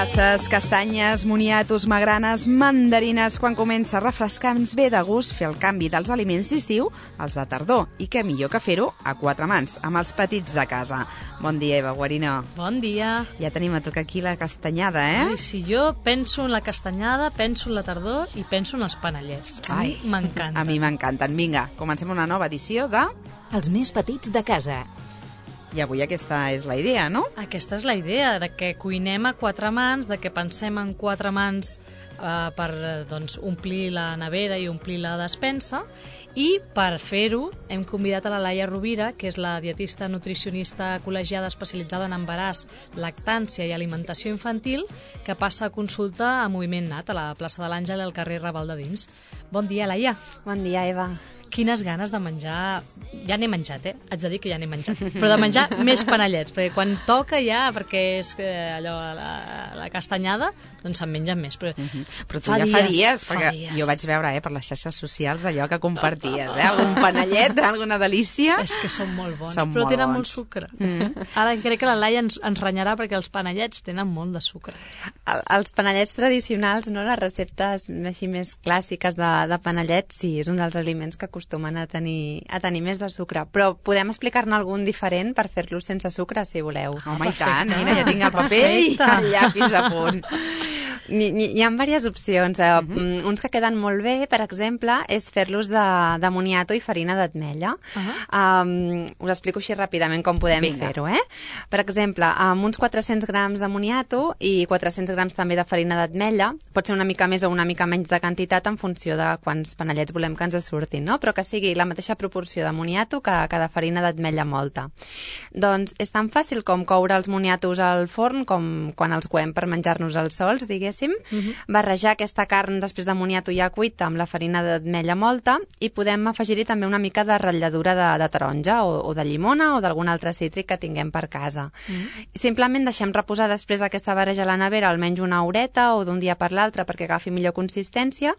Passes, castanyes, moniatos, magranes, mandarines... Quan comença a refrescar ens ve de gust fer el canvi dels aliments d'estiu als de tardor. I què millor que fer-ho a quatre mans, amb els petits de casa. Bon dia, Eva Guarino. Bon dia. Ja tenim a tocar aquí la castanyada, Ai, si jo penso en la castanyada, penso en la tardor i penso en els panellets. A mi m'encanten. A mi m'encanten. Vinga, comencem una nova edició de... Els més petits de casa. I avui aquesta és la idea, no? Aquesta és la idea, de que cuinem a quatre mans, de que pensem en quatre mans per omplir la nevera i omplir la despensa, i per fer-ho hem convidat a la Laia Rovira, que és la dietista nutricionista col·legiada especialitzada en embaràs, lactància i alimentació infantil, que passa a consulta a Moviment Nat, a la plaça de l'Àngel al carrer Raval de Dins. Bon dia, Laia. Bon dia, Eva. Quines ganes de menjar... Ja n'he menjat, haig de dir que ja n'he menjat. Però de menjar més panellets, perquè quan toca ja, perquè és allò, la castanyada, doncs se'n mengen més. Però, però tu ja fa dies, perquè jo vaig veure per les xarxes socials allò que comparties, algun panellet, alguna delícia. És que són molt bons, són però molt tenen bons. molt sucre. Ara crec que la Laia ens renyarà perquè els panellets tenen molt de sucre. Els panellets tradicionals, no, les receptes així més clàssiques de panellets, sí, és un dels aliments que acostumen a tenir més de sucre, però podem explicar-ne algun diferent per fer-lo sense sucre, si voleu. Home, i tant, mira, ja tinc el paper i el llapis a punt. Hi ha diverses opcions. Uns que queden molt bé, per exemple, és fer-los de moniato i farina d'ametlla. Us explico així ràpidament com podem fer-ho. Per exemple, amb uns 400 grams de moniato i 400 grams també de farina d'ametlla, pot ser una mica més o una mica menys de quantitat en funció de quants panellets volem que ens surtin, no? Però que sigui la mateixa proporció de moniato que de farina d'ametlla molta. Doncs és tan fàcil com coure els moniatos al forn, com quan els coem per menjar-nos els sols, diguéssim, barrejar aquesta carn després de moniato ja cuita amb la farina d'ametlla molta i podem afegir-hi també una mica de ratlladura de taronja o de llimona o d'algun altre cítric que tinguem per casa. Simplement deixem reposar després aquesta barreja a la nevera almenys una horeta o d'un dia per l'altre perquè agafi millor consistència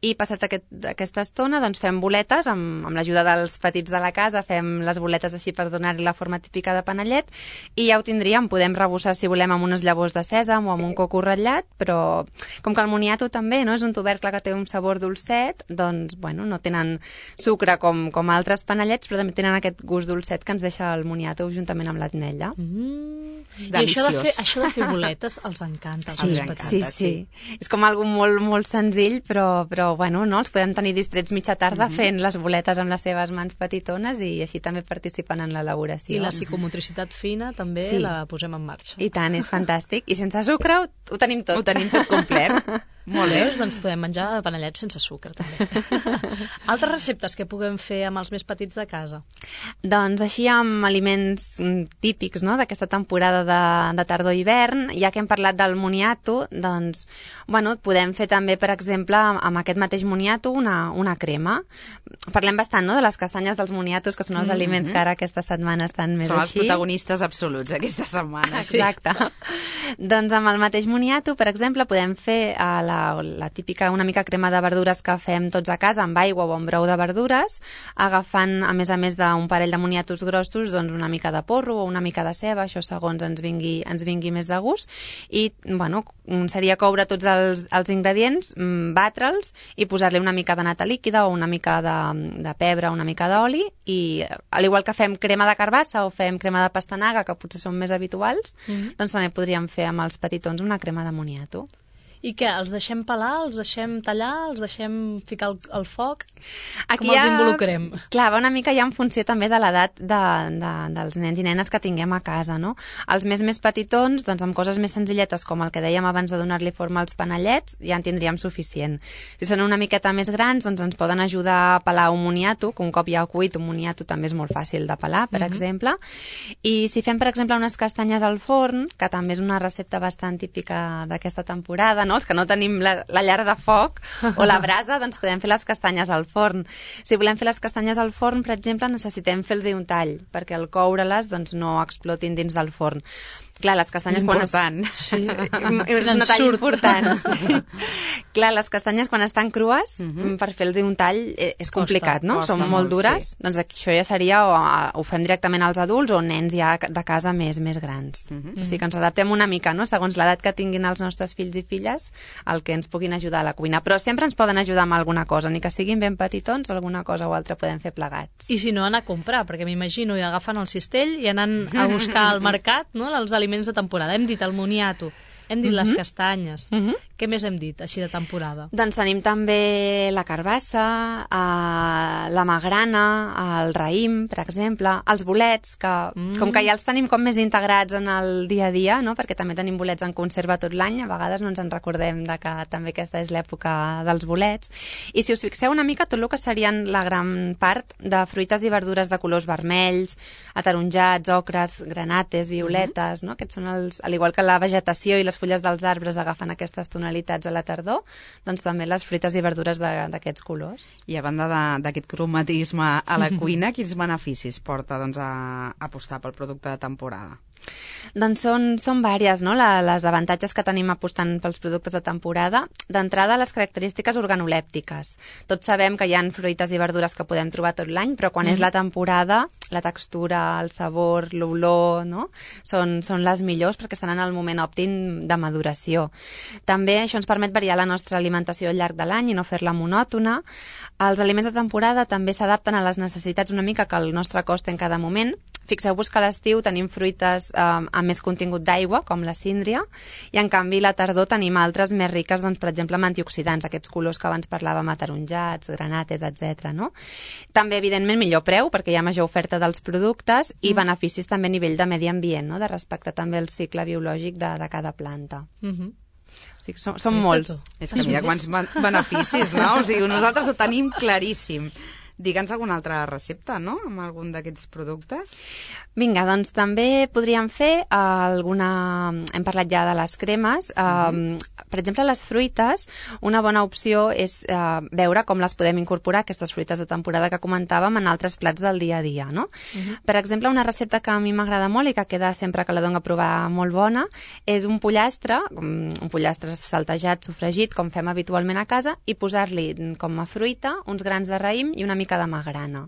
i passat aquesta estona doncs fem boletes amb l'ajuda dels petits de la casa, fem les boletes així per donar-li la forma típica de panellet i ja ho tindríem, podem rebossar si volem amb unes llavors de sèsam o amb un coco ratllat, però com que el moniato també és un tubercle que té un sabor dolcet, doncs no tenen sucre com altres panellets, però també tenen aquest gust dolcet que ens deixa el moniato juntament amb l'ametlla. I això de fer boletes els encanta. Sí. És com algo molt, molt senzill, però no, els podem tenir distrets mitja tarda fent les boletes amb les seves mans petitones i així també participen en l'elaboració. I la psicomotricitat fina també la posem en marxa. I tant, és fantàstic. I sense sucre ho tenim tot. Ho tenim tot complet. Molt bé. Doncs podem menjar panellets sense sucre, també. Altres receptes que puguem fer amb els més petits de casa? Doncs així amb aliments típics d'aquesta temporada de tardor-hivern, ja que hem parlat del moniato, doncs, podem fer també, per exemple, amb aquest mateix moniato una crema. Parlem bastant, de les castanyes dels moniatos, que són els aliments que ara aquesta setmana estan més són així. Són els protagonistes absoluts aquesta setmana. Exacte. Doncs amb el mateix moniato, per exemple, podem fer la típica una mica crema de verdures que fem tots a casa amb aigua o amb brou de verdures, agafant a més d'un parell de moniatos grossos doncs una mica de porro o una mica de ceba, això segons ens vingui més de gust, i seria coure tots els ingredients, batre'ls i posar-li una mica de nata líquida o una mica de pebre, una mica d'oli, i al igual que fem crema de carbassa o fem crema de pastanaga, que potser són més habituals, doncs també podríem fer amb els petitons una crema de moniato. I què? Els deixem pelar? Els deixem tallar? Els deixem ficar al foc? Aquí com els involucrem? Clar, va una mica ja en funció també de l'edat dels nens i nenes que tinguem a casa, no? Els més petitons, doncs amb coses més senzilletes, com el que dèiem abans de donar-li forma als panellets, ja en tindríem suficient. Si són una miqueta més grans, doncs ens poden ajudar a pelar un moniato, que un cop ja cuit, un moniato també és molt fàcil de pelar, per exemple. I si fem, per exemple, unes castanyes al forn, que també és una recepta bastant típica d'aquesta temporada, els que no tenim la llar de foc o la brasa, doncs podem fer les castanyes al forn. Si volem fer les castanyes al forn, per exemple, necessitem fer-los un tall, perquè al coure-les doncs, no explotin dins del forn. Clar, les castanyes important. Sí, és un tall important. Clar, les castanyes quan estan crues, per fer-los un tall és complicat, no? Són molt dures. Sí. Doncs això ja seria, ho fem directament als adults o nens ja de casa més grans. O sigui que ens adaptem una mica, no? Segons l'edat que tinguin els nostres fills i filles, el que ens puguin ajudar a la cuina. Però sempre ens poden ajudar amb alguna cosa, ni que siguin ben petitons, alguna cosa o altra podem fer plegats. I si no, anar a comprar, perquè m'imagino i agafen el cistell i anant a buscar al mercat, no?, els aliments de temporada. Hem dit el moniato, hem dit les castanyes. Què més hem dit, així de temporada? Doncs tenim també la carbassa, la magrana, el raïm, per exemple, els bolets, que com que ja els tenim com més integrats en el dia a dia, no?, perquè també tenim bolets en conserva tot l'any, a vegades no ens en recordem de que també aquesta és l'època dels bolets. I si us fixeu una mica, tot el que serien la gran part de fruites i verdures de colors vermells, ataronjats, ocres, granates, violetes, no?, aquests són els, al igual que la vegetació i les fulles dels arbres agafen aquestes tonalitats a la tardor, doncs també les fruites i verdures d'aquests colors. I a banda d'aquest cromatisme a la cuina, quins beneficis porta doncs, a apostar pel producte de temporada? Doncs són vàries, no?, les avantatges que tenim apostant pels productes de temporada. D'entrada, les característiques organolèptiques. Tots sabem que hi ha fruites i verdures que podem trobar tot l'any, però quan és la temporada, la textura, el sabor, l'olor, no?, són les millors perquè estan en el moment òptim de maduració. També això ens permet variar la nostra alimentació al llarg de l'any i no fer-la monòtona. Els aliments de temporada també s'adapten a les necessitats una mica que el nostre cos té en cada moment. Fixeu-vos que a l'estiu tenim fruites amb més contingut d'aigua, com la síndria, i en canvi a la tardor tenim altres més riques, doncs, per exemple, amb antioxidants, aquests colors que abans parlàvem, ataronjats, granates, etc. No? També, evidentment, millor preu, perquè hi ha major oferta dels productes, i beneficis també a nivell de medi ambient, no?, de respectar també el cicle biològic de cada planta. O sigui, són molts. És que mira quants beneficis, no? O sigui, nosaltres ho tenim claríssim. Digue'ns alguna altra recepta, no?, amb algun d'aquests productes. Vinga, doncs també podríem fer alguna... Hem parlat ja de les cremes. Per exemple, les fruites, una bona opció és veure com les podem incorporar, aquestes fruites de temporada que comentàvem, en altres plats del dia a dia, no? Per exemple, una recepta que a mi m'agrada molt i que queda sempre que la dono a provar molt bona és un pollastre saltejat, sofregit, com fem habitualment a casa, i posar-li com a fruita uns grans de raïm i una mica de magrana.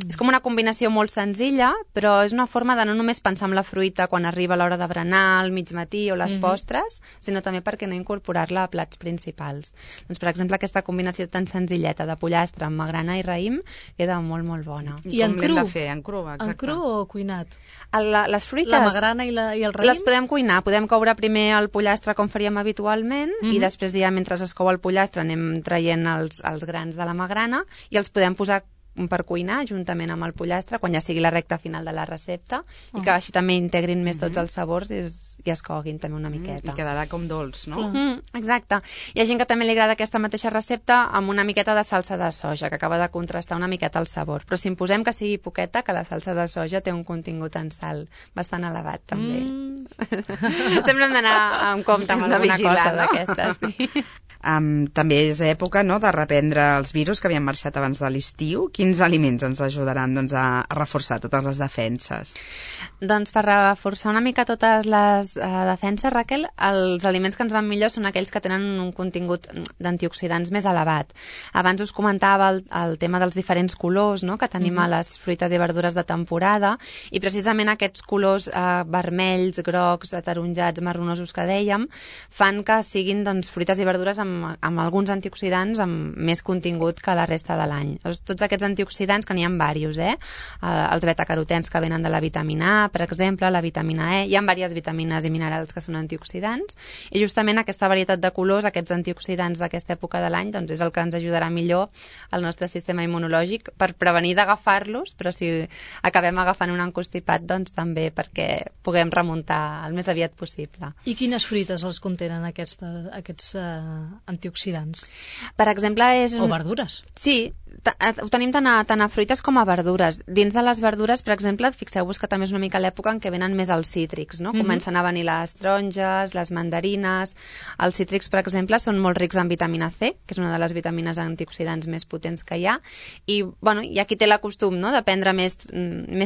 És com una combinació molt senzilla, però és una forma de no només pensar en la fruita quan arriba l'hora de berenar, al migmatí o les postres, sinó també perquè no incorporar-la a plats principals. Doncs, per exemple, aquesta combinació tan senzilleta de pollastre amb magrana i raïm queda molt, molt bona. I en cru? De fer? En cru, exacte. En cru o cuinat? Les fruites... La magrana i el raïm? Les podem cuinar. Podem coure primer el pollastre com faríem habitualment i després ja, mentre es cou el pollastre, anem traient els grans de la magrana i els podem posar per cuinar juntament amb el pollastre quan ja sigui la recta final de la recepta i que així també integrin més tots els sabors i es coguin també una miqueta. I quedarà com dolç, no? Exacte. Hi ha gent que també li agrada aquesta mateixa recepta amb una miqueta de salsa de soja, que acaba de contrastar una miqueta el sabor. Però si en posem que sigui poqueta, que la salsa de soja té un contingut en sal bastant elevat, també. Sempre hem d'anar amb compte amb alguna cosa d'aquestes. Sí. També és època, no?, de reprendre els virus que havien marxat abans de l'estiu. Quins aliments ens ajudaran, doncs, a reforçar totes les defenses? Doncs per reforçar una mica totes les defenses, Raquel, els aliments que ens van millor són aquells que tenen un contingut d'antioxidants més elevat. Abans us comentava el tema dels diferents colors, no?, que tenim a les fruites i verdures de temporada, i precisament aquests colors vermells, grocs, ataronjats, marronosos que dèiem, fan que siguin, doncs, fruites i verdures amb alguns antioxidants amb més contingut que la resta de l'any. Tots aquests antioxidants, que n'hi ha diversos, els betacarotens que venen de la vitamina A, per exemple, la vitamina E, hi ha diverses vitamines i minerals que són antioxidants, i justament aquesta varietat de colors, aquests antioxidants d'aquesta època de l'any, doncs és el que ens ajudarà millor al nostre sistema immunològic per prevenir d'agafar-los, però si acabem agafant un encostipat, doncs també perquè puguem remuntar el més aviat possible. I quines fruites els contenen aquests antioxidants? Per exemple, o verdures. Sí, ho tenim tant a fruites com a verdures. Dins de les verdures, per exemple, fixeu-vos que també és una mica l'època en què venen més els cítrics, no? Comencen a venir les taronges, les mandarines. Els cítrics, per exemple, són molt rics en vitamina C, que és una de les vitamines antioxidants més potents que hi ha. I, bueno, hi ha qui té la costum, no?, de prendre més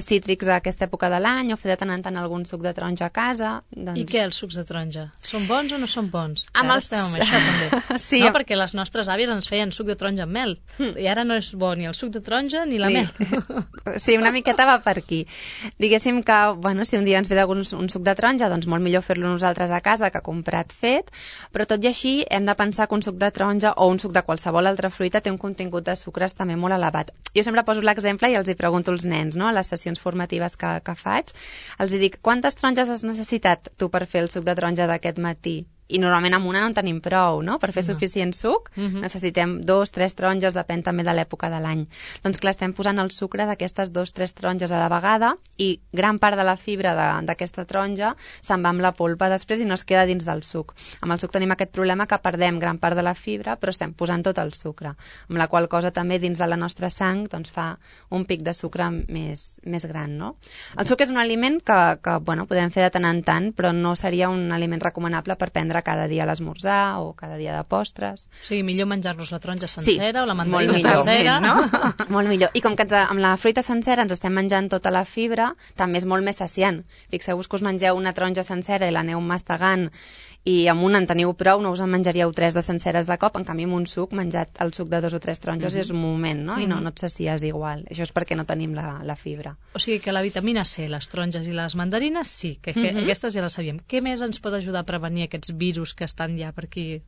cítrics a aquesta època de l'any o fer de tant en tant algun suc de taronja a casa. I què, els sucs de taronja? Són bons o no són bons? Amb ara estem amb això, també. Sí. No, perquè les nostres àvies ens feien suc de taronja amb mel. I ara no és bo ni el suc de taronja ni la mel. Sí, una miqueta va per aquí. Diguéssim que, bueno, si un dia ens ve un suc de taronja, doncs molt millor fer-lo nosaltres a casa que comprat fet, però tot i així hem de pensar que un suc de taronja o un suc de qualsevol altra fruita té un contingut de sucres també molt elevat. Jo sempre poso l'exemple i els hi pregunto als nens, no?, a les sessions formatives que faig, els hi dic, quantes taronges has necessitat tu per fer el suc de taronja d'aquest matí? I normalment amb una no en tenim prou, no?, per fer suficient suc. Necessitem 2, 3 taronges, depèn també de l'època de l'any. Doncs clar, estem posant el sucre d'aquestes 2, 3 taronges a la vegada i gran part de la fibra d'aquesta taronja se'n va amb la polpa després i no es queda dins del suc. Amb el suc tenim aquest problema que perdem gran part de la fibra, però estem posant tot el sucre, amb la qual cosa també dins de la nostra sang doncs, fa un pic de sucre més gran, no? El suc és un aliment que bueno, podem fer de tant en tant, però no seria un aliment recomanable per prendre cada dia a l'esmorzar o cada dia de postres. O sigui, millor menjar-nos la taronja sencera o la mandarina millor, sencera. No? Molt millor. I com que amb la fruita sencera ens estem menjant tota la fibra, també és molt més saciant. Fixeu-vos que us mengeu una taronja sencera i l'aneu mastegant i amb una en teniu prou, no us en menjaríeu 3 de senceres de cop, en canvi amb un suc, menjat el suc de 2 o 3 taronges és un moment, no? I no et sacies igual. Això és perquè no tenim la fibra. O sigui que la vitamina C, les taronges i les mandarines, sí, que aquestes ja les sabíem. Què més ens pot ajudar a prevenir aquests virus que estan ja per aquí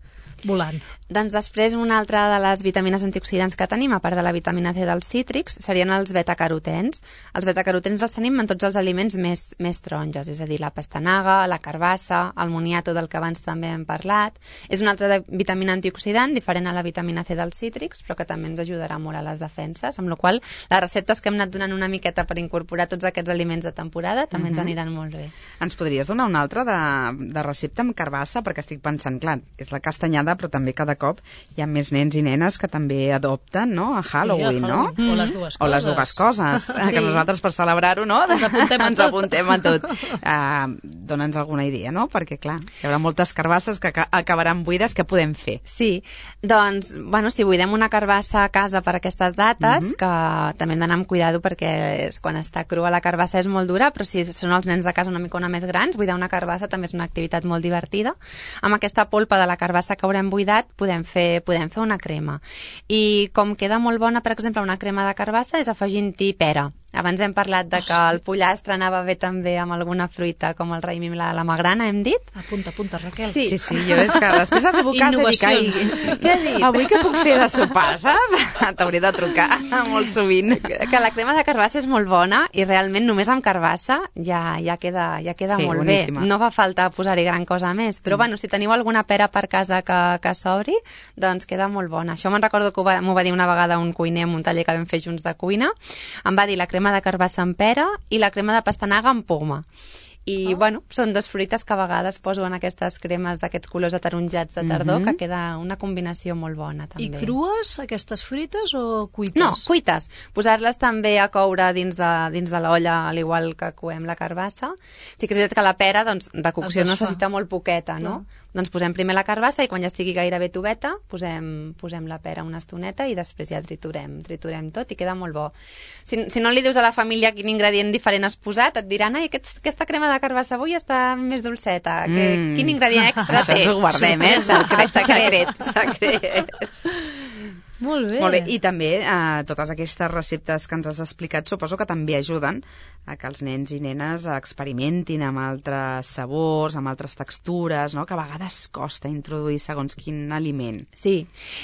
volant? Doncs després una altra de les vitamines antioxidants que tenim, a part de la vitamina C dels cítrics, serien els betacarotens. Els betacarotens els tenim en tots els aliments més taronges, és a dir, la pastanaga, la carbassa, el moniato del que abans també hem parlat. És una altra vitamina antioxidant, diferent a la vitamina C dels cítrics, però que també ens ajudarà molt a les defenses, amb la qual cosa les receptes que hem anat donant una miqueta per incorporar tots aquests aliments de temporada també ens aniran molt bé. Ens podries donar una altra de recepta amb carbassa? Perquè estic pensant, clar, és la castanyada, però també cada cop hi ha més nens i nenes que també adopten, no?, a Halloween, no? O les dues coses. O les dues coses, que nosaltres per celebrar-ho, no?, ens apuntem a tot. Dóna'ns alguna idea, no? Perquè, clar, hi haurà moltes carbasses que acabaran buides, què podem fer? Sí, doncs, bueno, si buidem una carbassa a casa per aquestes dates, que també hem d'anar amb cuidado perquè quan està crua la carbassa és molt dura, però si són els nens de casa una mica més grans, buidar una carbassa també és una activitat molt divertida. Amb aquesta polpa de la carbassa que haurem buidat podem fer una crema. I com queda molt bona, per exemple, una crema de carbassa és afegint-hi pera. Abans hem parlat de que el pollastre anava bé també amb alguna fruita, com el raïm i la magrana, hem dit? Apunta, Raquel. Sí, jo és que després arribo a casa i dic, què he dit? Avui què puc fer de sopar, saps? T'hauria de trucar molt sovint. Que la crema de carbassa és molt bona i realment només amb carbassa ja queda molt boníssima. Bé. No fa falta posar-hi gran cosa més, però bueno, si teniu alguna pera per casa que s'obri, doncs queda molt bona. Això me'n recordo que m'ho va dir una vegada un cuiner en un taller que vam fer junts de cuina. Em va dir la crema de carbassa amb pera i la crema de pastanaga amb poma. I, bueno, són dos fruites que a vegades poso en aquestes cremes d'aquests colors ataronjats de tardor, que queda una combinació molt bona, també. I crues, aquestes fruites, o cuites? No, cuites. Posar-les també a coure dins de l'olla, al igual que coem la carbassa. Sí que és veritat que la pera, doncs, de cocció necessita molt poqueta, no? Doncs posem primer la carbassa i quan ja estigui gairebé toveta, posem la pera una estoneta i després ja triturem tot i queda molt bo. Si no li dius a la família quin ingredient diferent has posat, et diran, ai, aquesta crema de carbassa avui està més dolceta. Quin ingredient extra té? Això ens ho guardem, secret. Molt bé. Molt bé. I també totes aquestes receptes que ens has explicat suposo que també ajuden a que els nens i nenes experimentin amb altres sabors, amb altres textures, no? Que a vegades costa introduir segons quin aliment. Sí,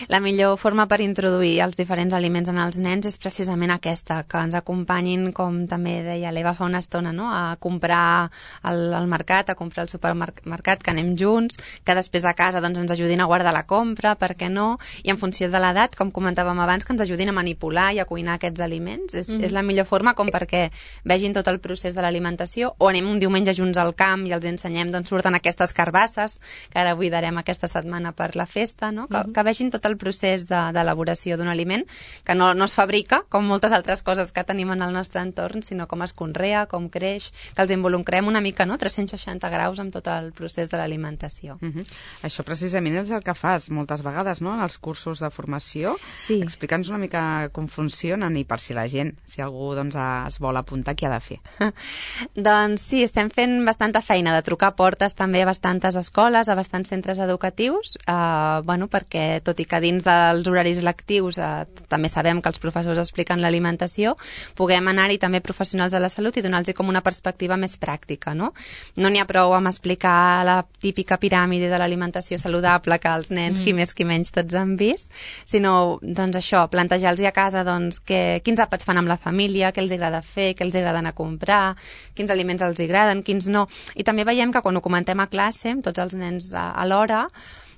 la millor forma per introduir els diferents aliments en els nens és precisament aquesta, que ens acompanyin, com també deia l'Eva fa una estona, no? A comprar al mercat, a comprar al supermercat, que anem junts, que després a casa doncs, ens ajudin a guardar la compra, per què no? I en funció de l'edat, com comentàvem abans, que ens ajudin a manipular i a cuinar aquests aliments. És la millor forma com perquè vegin tot el procés de l'alimentació, o anem un diumenge junts al camp i els ensenyem d'on surten aquestes carbasses, que ara buidarem aquesta setmana per la festa, no? Que vegin tot el procés d'elaboració d'un aliment, que no es fabrica, com moltes altres coses que tenim en el nostre entorn, sinó com es conrea, com creix, que els involucrem una mica, no? 360 graus amb tot el procés de l'alimentació. Això precisament és el que fas moltes vegades, no?, en els cursos de formació. Sí. Explica'ns una mica com funcionen i per si la gent, si algú doncs, es vol apuntar, què ha de fer? Doncs sí, estem fent bastanta feina de trucar portes també a bastantes escoles, a bastants centres educatius, perquè tot i que dins dels horaris lectius també sabem que els professors expliquen l'alimentació, puguem anar-hi també professionals de la salut i donar-los com una perspectiva més pràctica, no? No n'hi ha prou amb explicar la típica piràmide de l'alimentació saludable que els nens, qui més qui menys, tots han vist, sinó, doncs això, plantejar-los a casa doncs, quins àpats fan amb la família, què els agrada fer, què els agrada anar a comprar, quins aliments els agraden, quins no. I també veiem que quan ho comentem a classe, amb tots els nens alhora,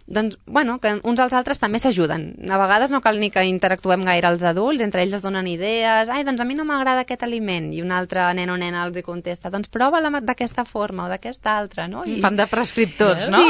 doncs, que uns als altres també s'ajuden. A vegades no cal ni que interactuem gaire els adults, entre ells es donen idees, doncs a mi no m'agrada aquest aliment, i un altre nen o nena els hi contesta, doncs prova-la d'aquesta forma o d'aquesta altra, no? Fan de prescriptors, no?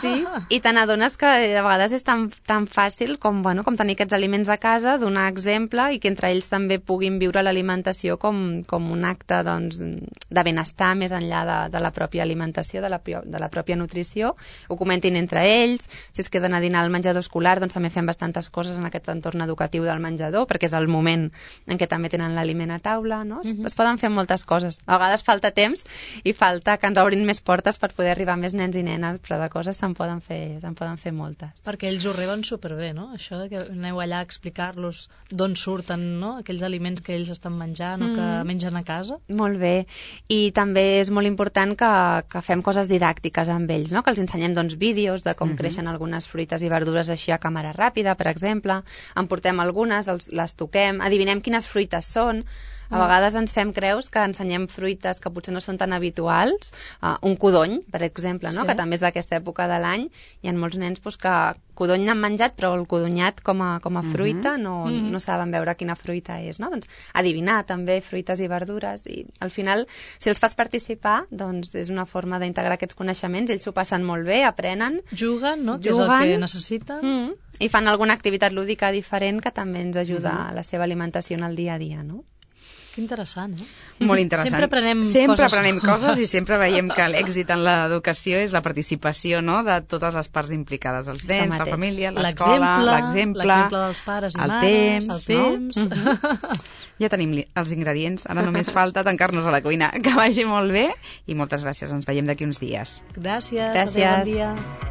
Sí. I te n'adones que a vegades és tan fàcil com tenir aquests aliments a casa, donar exemple i que entre ells també puguin viure l'alimentació com un acte doncs, de benestar més enllà de la pròpia alimentació, de la pròpia nutrició, ho comentin entre ells. Si es queden a dinar al menjador escolar, doncs també fem bastantes coses en aquest entorn educatiu del menjador, perquè és el moment en què també tenen l'aliment a taula, no? Es poden fer moltes coses. A vegades falta temps i falta que ens obrin més portes per poder arribar a més nens i nenes, però de coses se'n poden fer moltes. Perquè ells ho reben superbé, no? Això de que aneu allà a explicar-los d'on surten, no?, aquells aliments que ells estan menjant o que mengen a casa. Molt bé. I també és molt important que fem coses didàctiques amb ells, no? Que els ensenyem doncs, vídeos de com creixen algunes fruites i verdures així a càmera ràpida, per exemple. En portem algunes, les toquem, adivinem quines fruites són. A vegades ens fem creus que ensenyem fruites que potser no són tan habituals. Un codony, per exemple, no? Que també és d'aquesta època de l'any. Hi ha molts nens que codony n'han menjat, però el codonyat com a fruita no saben veure quina fruita és, no? Doncs adivinar també fruites i verdures, i al final, si els fas participar, doncs és una forma d'integrar aquests coneixements, ells s'ho passen molt bé, aprenen. Juguen, no? Que és el que necessiten. I fan alguna activitat lúdica diferent que també ens ajuda a la seva alimentació en el dia a dia, no? Que interessant, eh? Molt interessant. Sempre aprenem coses i sempre veiem que l'èxit en l'educació és la participació, no?, de totes les parts implicades, els nens, la família, l'escola, l'exemple dels pares i mares, el temps. No? Ja tenim els ingredients, ara només falta tancar-nos a la cuina. Que vagi molt bé i moltes gràcies, ens veiem d'aquí uns dies. Gràcies. Adéu, bon dia.